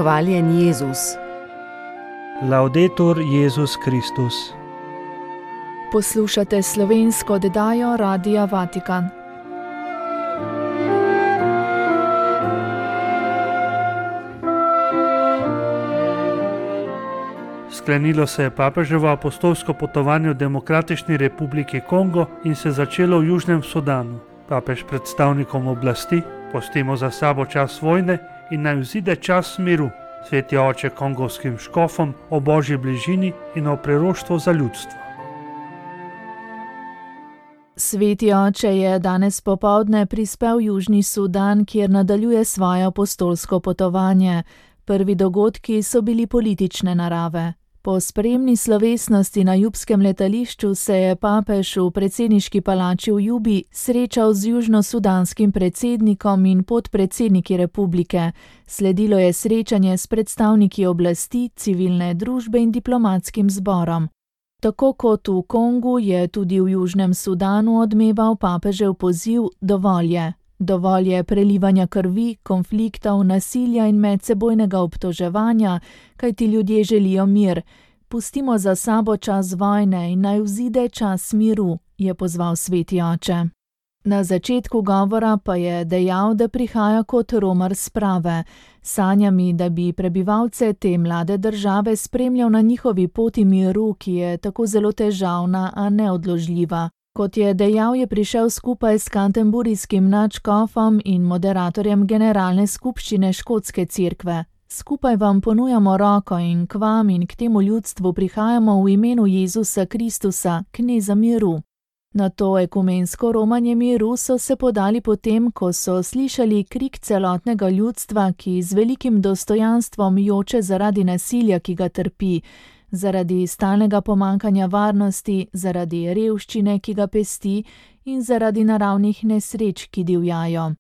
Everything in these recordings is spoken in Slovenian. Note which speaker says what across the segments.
Speaker 1: Hvaljen Jezus.
Speaker 2: Laudetur Jezus Kristus.
Speaker 3: Poslušate slovensko oddajo Radia Vatikan.
Speaker 2: Sklenilo se je papeževo apostolsko potovanje v Demokratični republiki Kongo in se začelo v Južnem Sudanu. Papež predstavnikom oblasti: pustimo za sabo čas vojne in naj vzide čas miru. Sveti oče kongovskim škofom o božji bližini in o priroštvu za ljudstvo.
Speaker 3: Sveti oče je danes popoldne prispel v Južni Sudan, kjer nadaljuje svoje apostolsko potovanje. Prvi dogodki so bili politične narave. Po spremni slovesnosti na jubskem letališču se je papež v predsedniški palači v Jubi srečal z južnosudanskim predsednikom in podpredsedniki republike. Sledilo je srečanje s predstavniki oblasti, civilne družbe in diplomatskim zborom. Tako kot v Kongu je tudi v Južnem Sudanu odmeval papežev poziv dovolj je. Dovolj je prelivanja krvi, konfliktov, nasilja in medsebojnega obtoževanja, kajti ljudje želijo mir. Pustimo za sabo čas vojne in naj vzide čas miru, je pozval sveti oče. Na začetku govora pa je dejal, da prihaja kot romar sprave, sanjami, da bi prebivalce te mlade države spremljal na njihovi poti miru, ki je tako zelo težavna, a neodložljiva. Kot je dejal, je prišel skupaj s kanterburijskim nadškofom in moderatorjem generalne skupščine škotske cerkve. Skupaj vam ponujamo roko in k vam in k temu ljudstvu prihajamo v imenu Jezusa Kristusa, kneza miru. Na to ekumensko romanje miru so se podali potem, ko so slišali krik celotnega ljudstva, ki z velikim dostojanstvom joče zaradi nasilja, ki ga trpi, zaradi stalnega pomankanja varnosti, zaradi revščine, ki ga pesti, in zaradi naravnih nesreč, ki divjajo.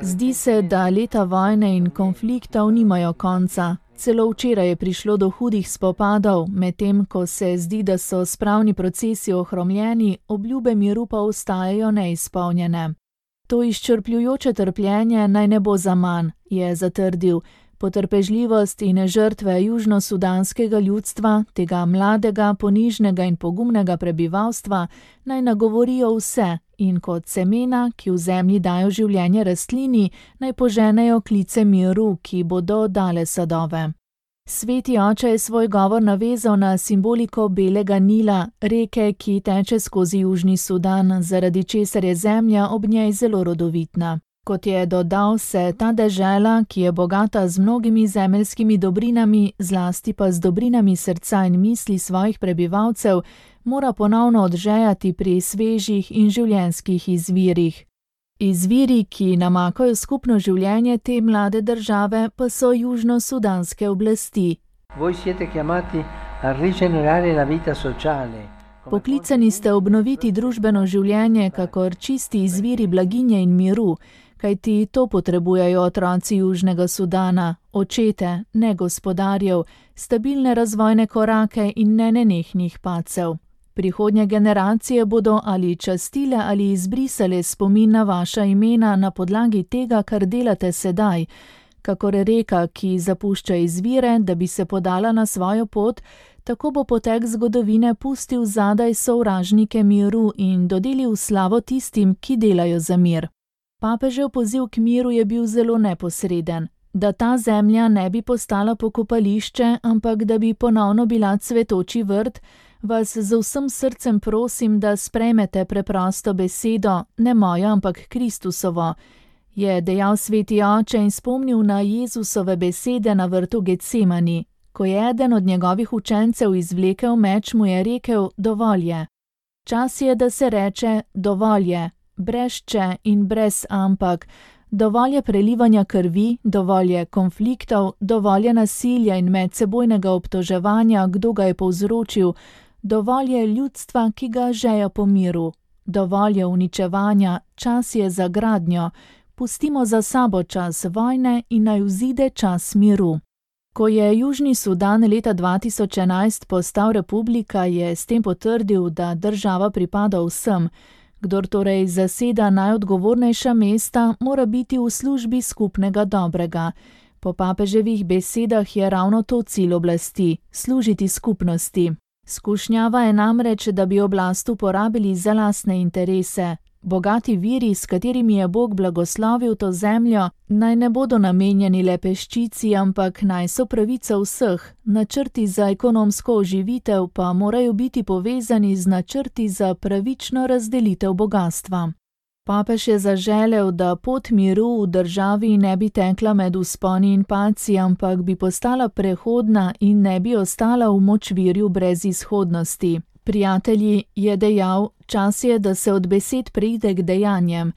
Speaker 3: Zdi se, da leta vojne in konfliktov nimajo konca. Celo včeraj je prišlo do hudih spopadov, medtem ko se zdi, da so spravni procesi ohromljeni, obljube miru pa ostajajo neizpolnjene. To izčrpljujoče trpljenje naj ne bo zaman, je zatrdil. Potrpežljivost in žrtve južnosudanskega ljudstva, tega mladega, ponižnega in pogumnega prebivalstva, naj nagovorijo vse in kot semena, ki v zemlji dajo življenje rastlini, naj poženejo klice miru, ki bodo dale sadove. Sveti oče je svoj govor navezal na simboliko belega Nila, reke, ki teče skozi Južni Sudan, zaradi česar je zemlja ob njej zelo rodovitna. Kot je dodal, se ta dežela, ki je bogata z mnogimi zemeljskimi dobrinami, zlasti pa z dobrinami srca in misli svojih prebivalcev, mora ponovno odžejati pri svežih in življenjskih izvirih. Izviri, ki namakajo skupno življenje te mlade države, pa so južnosudanske oblasti. Poklicani ste obnoviti družbeno življenje, kakor čisti izviri blaginje in miru, kajti to potrebujejo otroci Južnega Sudana, očete, ne gospodarjev, stabilne razvojne korake in nenehnih padcev. Prihodnje generacije bodo ali častile ali izbrisale spomin na vaša imena na podlagi tega, kar delate sedaj. Kakor reka, ki zapušča izvire, da bi se podala na svojo pot, tako bo potek zgodovine pustil zadaj sovražnike miru in dodelil slavo tistim, ki delajo za mir. Papežev poziv k miru je bil zelo neposreden. Da ta zemlja ne bi postala pokopališče, ampak da bi ponovno bila cvetoči vrt, vas z vsem srcem prosim, da sprejmete preprosto besedo, ne mojo, ampak Kristusovo, je dejal sveti oče in spomnil na Jezusove besede na vrtu Getsemani. Ko je eden od njegovih učencev izvlekel meč, mu je rekel: dovolj je. Čas je, da se reče dovolj je, brez če in brez ampak. Dovolj je prelivanja krvi, dovolj je konfliktov, dovolj je nasilja in medsebojnega obtoževanja, kdo ga je povzročil, dovolj je ljudstva, ki ga žeja po miru, dovolj je uničevanja, čas je za gradnjo, pustimo za sabo čas vojne in naj vzide čas miru. Ko je Južni Sudan leta 2011 postal republika, je s tem potrdil, da država pripada vsem. Kdor torej zaseda najodgovornejša mesta, mora biti v službi skupnega dobrega. Po papeževih besedah je ravno to cilj oblasti – služiti skupnosti. Skušnjava je namreč, da bi oblast uporabili za lastne interese. Bogati viri, s katerimi je Bog blagoslovil to zemljo, naj ne bodo namenjeni le peščici, ampak naj so pravica vseh. Načrti za ekonomsko oživitev pa morajo biti povezani z načrti za pravično razdelitev bogastva. Papež je zaželel, da pot miru v državi ne bi tekla med vzponi in padci, ampak bi postala prehodna in ne bi ostala v močvirju brez izhodnosti. Prijatelji, je dejal, čas je, da se od besed preide k dejanjem.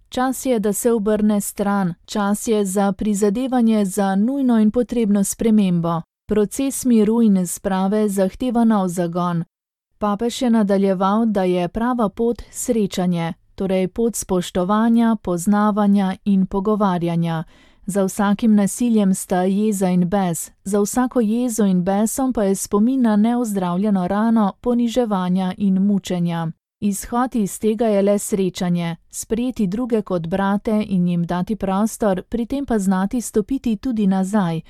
Speaker 3: Čas je, da se obrne stran, čas je za prizadevanje za nujno in potrebno spremembo. Proces miru in sprave zahteva nov zagon. Papež je nadaljeval, da je prava pot srečanje, torej pot spoštovanja, poznavanja in pogovarjanja. Za vsakim nasiljem sta jeza in bes, za vsako jezo in besom pa je spomin na neozdravljeno rano, poniževanja in mučenja. Izhod iz tega je le srečanje, sprejeti druge kot brate in jim dati prostor, pri tem pa znati stopiti tudi nazaj.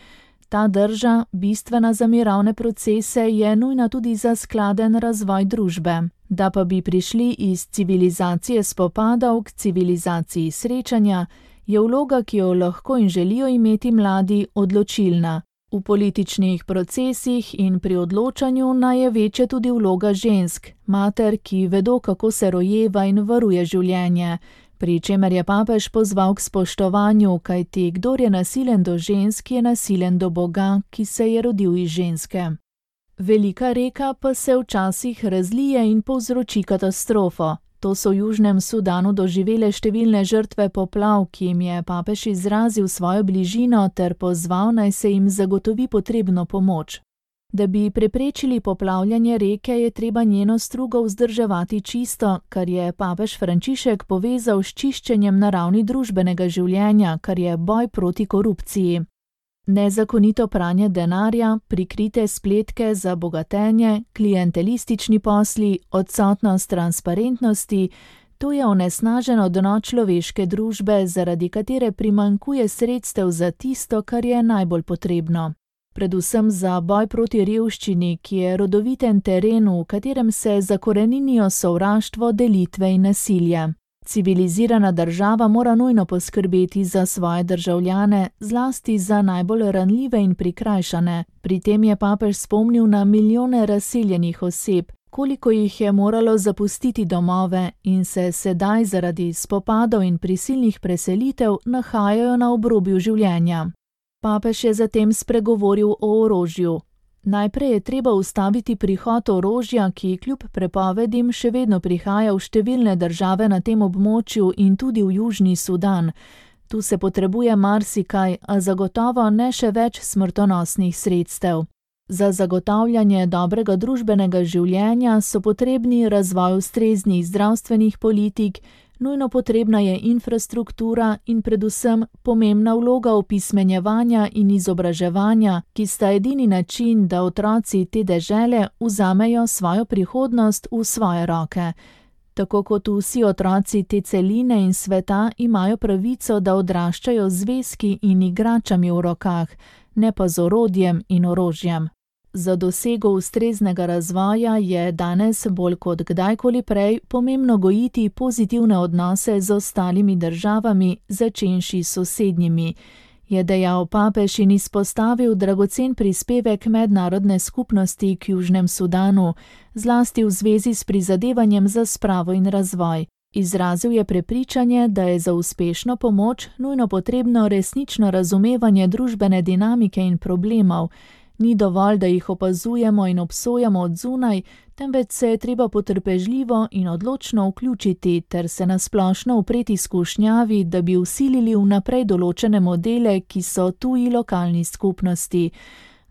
Speaker 3: Ta drža, bistvena za mirovne procese, je nujna tudi za skladen razvoj družbe. Da pa bi prišli iz civilizacije spopadov k civilizaciji srečanja, je vloga, ki jo lahko in želijo imeti mladi, odločilna. V političnih procesih in pri odločanju naj je večja tudi vloga žensk, mater, ki vedo, kako se rojeva in varuje življenje, pri čemer je papež pozval k spoštovanju, kajti kdor je nasilen do žensk, je nasilen do Boga, ki se je rodil iz ženske. Velika reka pa se včasih razlije in povzroči katastrofo. To so v Južnem Sudanu doživele številne žrtve poplav, ki jim je papež izrazil svojo bližino ter pozval, naj se jim zagotovi potrebno pomoč. Da bi preprečili poplavljanje reke, je treba njeno strugo vzdrževati čisto, kar je papež Frančišek povezal s čiščenjem na ravni družbenega življenja, kar je boj proti korupciji. Nezakonito pranje denarja, prikrite spletke za bogatenje, klientelistični posli, odsotnost transparentnosti, to je onesnaženo dno človeške družbe, zaradi katere primanjkuje sredstev za tisto, kar je najbolj potrebno. Predvsem za boj proti revščini, ki je rodoviten teren, v katerem se zakoreninijo sovraštvo, delitve in nasilje. Civilizirana država mora nujno poskrbeti za svoje državljane, zlasti za najbolj ranljive in prikrajšane. Pri tem je papež spomnil na milijone razseljenih oseb, koliko jih je moralo zapustiti domove in se sedaj zaradi spopadov in prisilnih preselitev nahajajo na obrobju življenja. Papež je zatem spregovoril o orožju. Najprej je treba ustaviti prihod orožja, ki kljub prepovedim še vedno prihaja v številne države na tem območju in tudi v Južni Sudan. Tu se potrebuje marsikaj, a zagotovo ne še več smrtonosnih sredstev. Za zagotavljanje dobrega družbenega življenja so potrebni razvoj ustreznih zdravstvenih politik, nujno potrebna je infrastruktura in predvsem pomembna vloga opismenjevanja in izobraževanja, ki sta edini način, da otroci te dežele vzamejo svojo prihodnost v svoje roke. Tako kot vsi otroci te celine in sveta imajo pravico, da odraščajo z zvezki in igračami v rokah, ne pa z orodjem in orožjem. Za dosego ustreznega razvoja je danes bolj kot kdajkoli prej pomembno gojiti pozitivne odnose z ostalimi državami, začenši s sosednjimi, je dejal papež in izpostavil dragocen prispevek mednarodne skupnosti k Južnem Sudanu, zlasti v zvezi s prizadevanjem za spravo in razvoj. Izrazil je prepričanje, da je za uspešno pomoč nujno potrebno resnično razumevanje družbene dinamike in problemov. Ni dovolj, da jih opazujemo in obsojamo od zunaj, temveč se je treba potrpežljivo in odločno vključiti ter se nasplošno upreti skušnjavi, da bi vsilili vnaprej določene modele, ki so tuji lokalni skupnosti.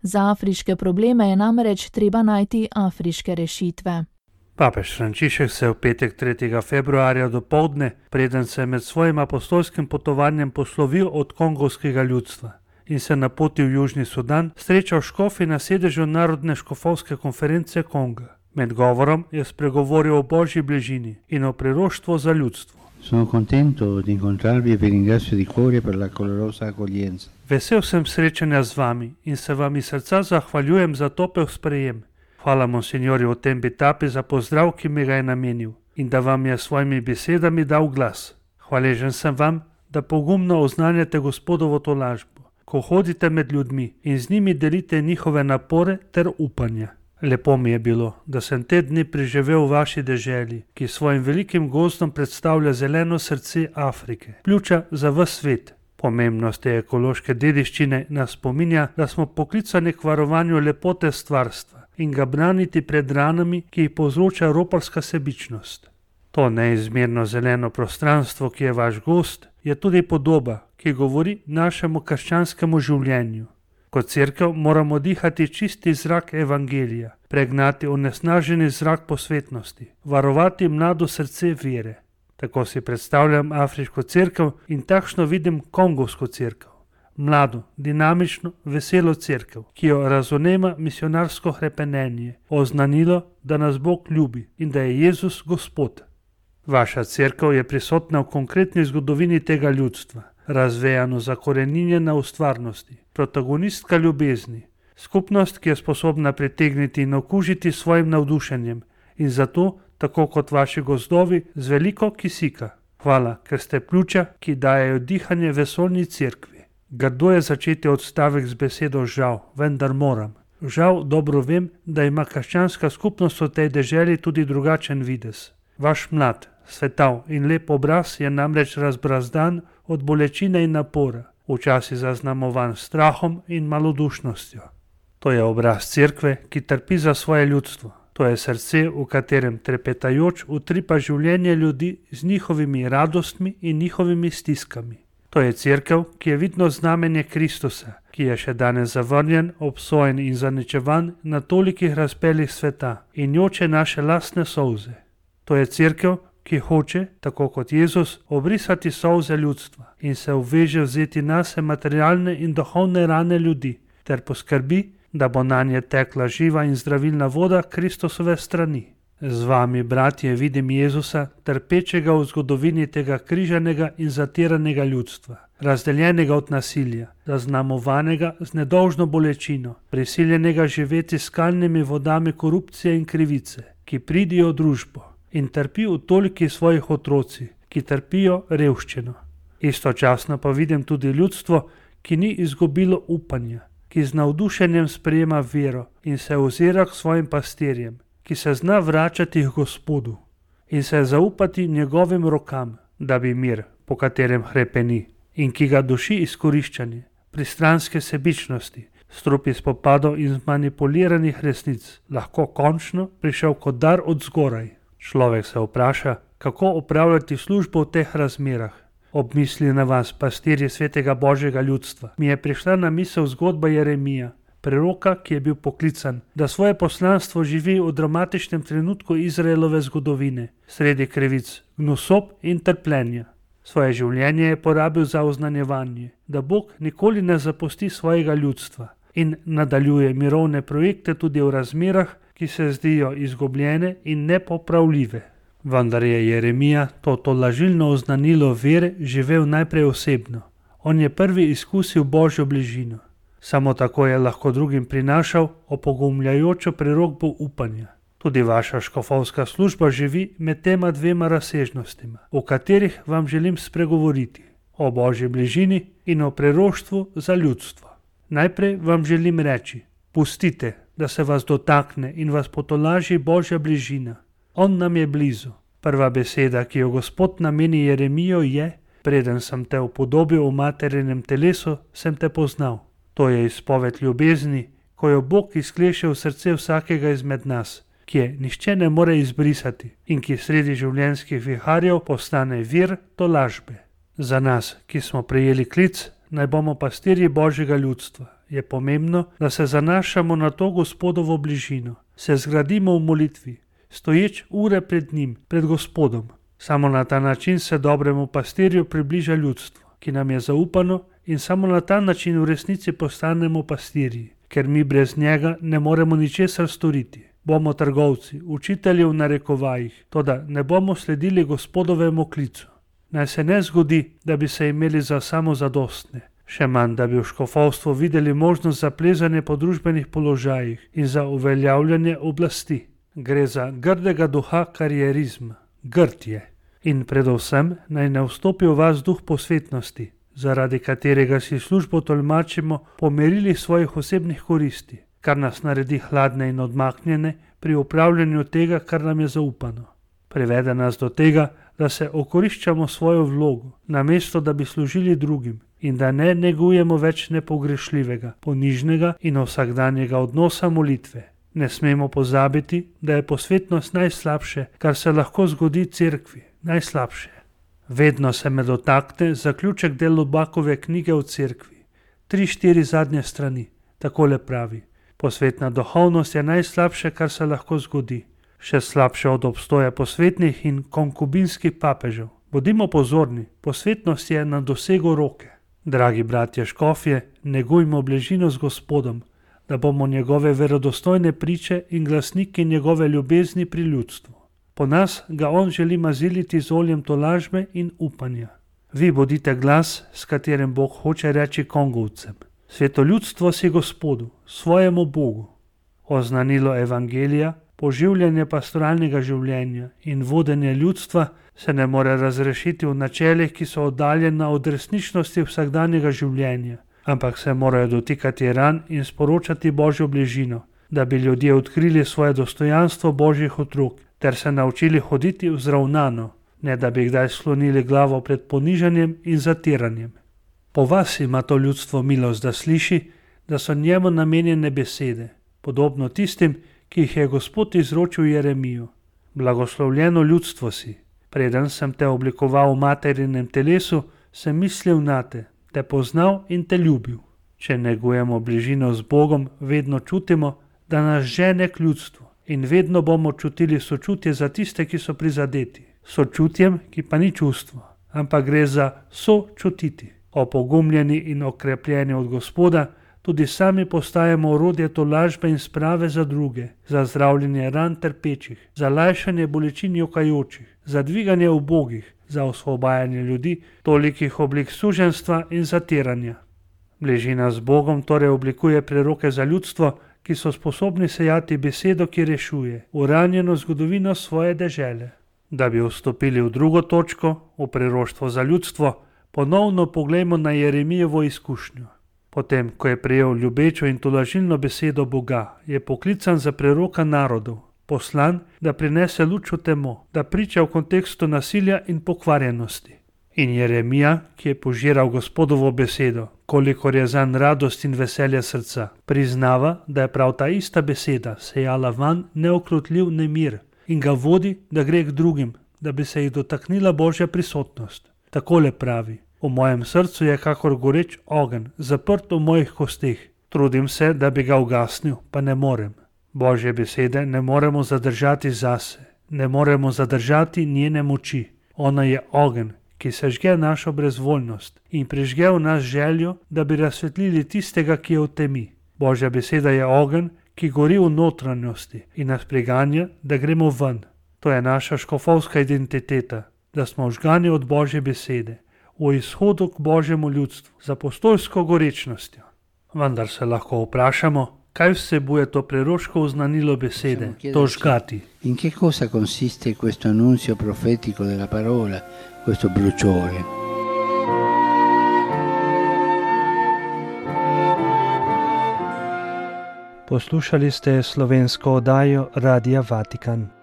Speaker 3: Za afriške probleme je namreč treba najti afriške rešitve.
Speaker 2: Papež Frančišek se je v petek 3. februarja dopoldne, preden se je med svojim apostolskim potovanjem poslovil od kongovskega ljudstva in se napotil v Južni Sudan, srečal škofi na sedežu Narodne škofovske konference Konga. Med govorom je spregovoril o Božji bližini in o priroštvu za ljudstvo.
Speaker 1: Sono contento di incontrarvi e vi ringrazio di cuore per la calorosa accoglienza.
Speaker 2: Vesel sem srečanja z vami in se vam iz srca zahvaljujem za topel sprejem. Hvala monsinjorju Otembitapi za pozdrav, ki mi ga je namenil in da vam je s svojimi besedami dal glas. Hvaležen sem vam, da pogumno oznanjate Gospodovo tolažbo, ko hodite med ljudmi in z njimi delite njihove napore ter upanja. Lepo mi je bilo, da sem te dni preživel v vaši deželi, ki svojim velikim gozdom predstavlja zeleno srce Afrike, pljuča za ves svet. Pomembnost te ekološke dediščine nas spominja, da smo poklicani k varovanju lepote stvarstva in ga braniti pred ranami, ki jih povzroča roparska sebičnost. To neizmerno zeleno prostranstvo, ki je vaš gozd, je tudi podoba, ki govori našemu krščanskemu življenju. Kot cerkev moramo dihati čisti zrak evangelija, pregnati onesnaženi zrak posvetnosti, varovati mlado srce vere. Tako si predstavljam afriško cerkev in takšno vidim kongovsko cerkev. Mlado, dinamično, veselo cerkev, ki jo razonema misionarsko hrepenenje, oznanilo, da nas Bog ljubi in da je Jezus Gospod. Vaša cerkev je prisotna v konkretni zgodovini tega ljudstva, razvejano zakoreninjena v stvarnosti, protagonistka ljubezni, skupnost, ki je sposobna pritegniti in okužiti svojim navdušenjem in zato, tako kot vaši gozdovi, z veliko kisika. Hvala, ker ste pljuča, ki dajejo dihanje vesoljni cerkvi. Grdo je začeti odstavek z besedo žal, vendar moram. Žal dobro vem, da ima krščanska skupnost v tej deželi tudi drugačen videz. Vaš mlad, svetav in lep obraz je namreč razbrazdan od bolečine in napora, včasih zaznamovan strahom in malodušnostjo. To je obraz cerkve, ki trpi za svoje ljudstvo. To je srce, v katerem trepetajoč utripa življenje ljudi z njihovimi radostmi in njihovimi stiskami. To je cerkev, ki je vidno znamenje Kristusa, ki je še danes zavrnjen, obsojen in zaničevan na tolikih razpelih sveta in joče naše lastne solze. To je cerkev, ki hoče, tako kot Jezus, obrisati solze ljudstva in se obveže vzeti nase materialne in duhovne rane ljudi ter poskrbi, da bo nanje tekla živa in zdravilna voda Kristusove strani. Z vami, bratje, vidim Jezusa, trpečega v zgodovini tega križanega in zatiranega ljudstva, razdeljenega od nasilja, zaznamovanega z nedolžno bolečino, prisiljenega živeti s skalnimi vodami korupcije in krivice, ki pridijo v družbo in trpi v toliki svojih otroci, ki trpijo revščino. Istočasno pa vidim tudi ljudstvo, ki ni izgubilo upanja, ki z navdušenjem sprejema vero in se ozira k svojim pastirjem, ki se zna vračati k Gospodu in se zaupati njegovim rokam, da bi mir, po katerem hrepeni in ki ga duši izkoriščanje, pristranske sebičnosti, strupi spopadov in zmanipuliranih resnic, lahko končno prišel kot dar od zgoraj. Človek se vpraša, kako opravljati službo v teh razmerah. Ob misli na vas, pastirji svetega Božjega ljudstva, mi je prišla na misel zgodba Jeremija, preroka, ki je bil poklican, da svoje poslanstvo živi v dramatičnem trenutku Izraelove zgodovine, sredi krivic, gnusob in trpljenja. Svoje življenje je porabil za oznanjevanje, da Bog nikoli ne zapusti svojega ljudstva in nadaljuje mirovne projekte tudi v razmerah, ki se zdijo izgubljene in nepopravljive. Vendar je Jeremija to tolažilno oznanilo vere živel najprej osebno. On je prvi izkusil Božjo bližino. Samo tako je lahko drugim prinašal opogumljajočo prerokbo upanja. Tudi vaša škofovska služba živi med tema dvema razsežnostima, o katerih vam želim spregovoriti, o Božji bližini in o preroštvu za ljudstvo. Najprej vam želim reči, pustite, da se vas dotakne in vas potolaži Božja bližina. On nam je blizu. Prva beseda, ki jo Gospod nameni Jeremijo, je: preden sem te upodobil v materinem telesu, sem te poznal. To je izpoved ljubezni, ko jo Bog izkleše v srce vsakega izmed nas, ki je nihče ne more izbrisati in ki sredi življenjskih viharjev postane vir tolažbe. Za nas, ki smo prejeli klic, naj bomo pastirji Božjega ljudstva, je pomembno, da se zanašamo na to Gospodovo bližino, se zgradimo v molitvi, stoječ ure pred njim, pred Gospodom. Samo na ta način se dobremu pastirju približa ljudstvo, ki nam je zaupano, in samo na ta način v resnici postanemo pastirji, ker mi brez njega ne moremo ničesar storiti. bomo trgovci, učitelji v narekovajih, toda ne bomo sledili Gospodovemu klicu. Naj se ne zgodi, da bi se imeli za samozadostne, še manj, da bi v škofovstvu videli možnost za plezanje po družbenih položajih in za uveljavljanje oblasti. Gre za grdega duha karierizma, grd je. In predvsem naj ne vstopi v vas duh posvetnosti, zaradi katerega si službo tolmačimo po merilih svojih osebnih koristi, kar nas naredi hladne in odmaknjene pri upravljanju tega, kar nam je zaupano. Privede nas do tega, da se okoriščamo svojo vlogo, namesto da bi služili drugim, in da ne negujemo več nepogrešljivega, ponižnega in vsakdanjega odnosa molitve. Ne smemo pozabiti, da je posvetnost najslabše, kar se lahko zgodi cerkvi, najslabše. Vedno se me dotakne zaključek del Lubakove knjige o cerkvi, 3-4 zadnje strani, takole pravi: posvetna duhovnost je najslabše, kar se lahko zgodi, še slabše od obstoja posvetnih in konkubinskih papežev. Bodimo pozorni, posvetnost je na dosegu roke. Dragi bratje škofje, negujmo bližino z Gospodom, da bomo njegove verodostojne priče in glasniki njegove ljubezni pri ljudstvu. Po nas ga on želi maziliti z oljem tolažbe in upanja. Vi bodite glas, s katerim Bog hoče reči Kongovcem: sveto ljudstvo si Gospodu, svojemu Bogu. Oznanilo evangelija, poživljanje pastoralnega življenja in vodenje ljudstva se ne more razrešiti v načelih, ki so oddaljena od resničnosti vsakdanjega življenja, ampak se morajo dotikati ran in sporočati Božjo bližino, da bi ljudje odkrili svoje dostojanstvo Božjih otrok ter se naučili hoditi vzravnano, ne da bi kdaj sklonili glavo pred ponižanjem in zatiranjem. Po vas ima to ljudstvo milost, da sliši, da so njemu namenjene besede, podobno tistim, ki jih je Gospod izročil Jeremiju: blagoslovljeno ljudstvo si, preden sem te oblikoval v materinem telesu, sem mislil nate, te poznal in te ljubil. Če negujemo bližino z Bogom, vedno čutimo, da nas žene k ljudstvu, in vedno bomo čutili sočutje za tiste, ki so prizadeti. Sočutjem, ki pa ni čustvo, ampak gre za sočutiti. Opogumljeni in okrepljeni od Gospoda, tudi sami postajamo orodje tolažbe in sprave za druge, za zdravljenje ran trpečih, za lajšanje bolečin jokajočih, za dviganje ubogih, za osvobajanje ljudi tolikih oblik suženjstva in zatiranja. Bližina z Bogom torej oblikuje preroke za ljudstvo, ki so sposobni sejati besedo, ki rešuje, uranjeno zgodovino svoje dežele. Da bi vstopili v drugo točko, v preroštvo za ljudstvo, ponovno poglejmo na Jeremijevo izkušnjo. Potem, ko je prejel ljubečo in tolažilno besedo Boga, je poklican za preroka narodov, poslan, da prinese luč v temo, da priča v kontekstu nasilja in pokvarjenosti. In Jeremija, ki je požiral Gospodovo besedo, kolikor je zanj radost in veselje srca, priznava, da je prav ta ista beseda sejala van neokrotljiv nemir in ga vodi, da gre k drugim, da bi se jih dotaknila Božja prisotnost. Takole pravi: v mojem srcu je kakor goreč ogenj, zaprt v mojih kosteh. Trudim se, da bi ga ugasnil, pa ne morem. Božje besede ne moremo zadržati zase, ne moremo zadržati njene moči. Ona je ogenj, ki sežge našo brezvoljnost in prižge v nas željo, da bi razsvetlili tistega, ki je v temi. Božja beseda je ogenj, ki gori v notranjosti in nas priganja, da gremo ven. To je naša škofovska identiteta, da smo vžgani od Božje besede, v izhodu k Božjemu ljudstvu, z apostolsko gorečnostjo. Vendar se lahko vprašamo, kaj vsebuje to preroško oznanilo besede, to žgati.
Speaker 1: In che cosa consiste questo annunzio profetico della parola, questo bruciore?
Speaker 4: Poslušali ste slovensko oddajo Radia Vatikan.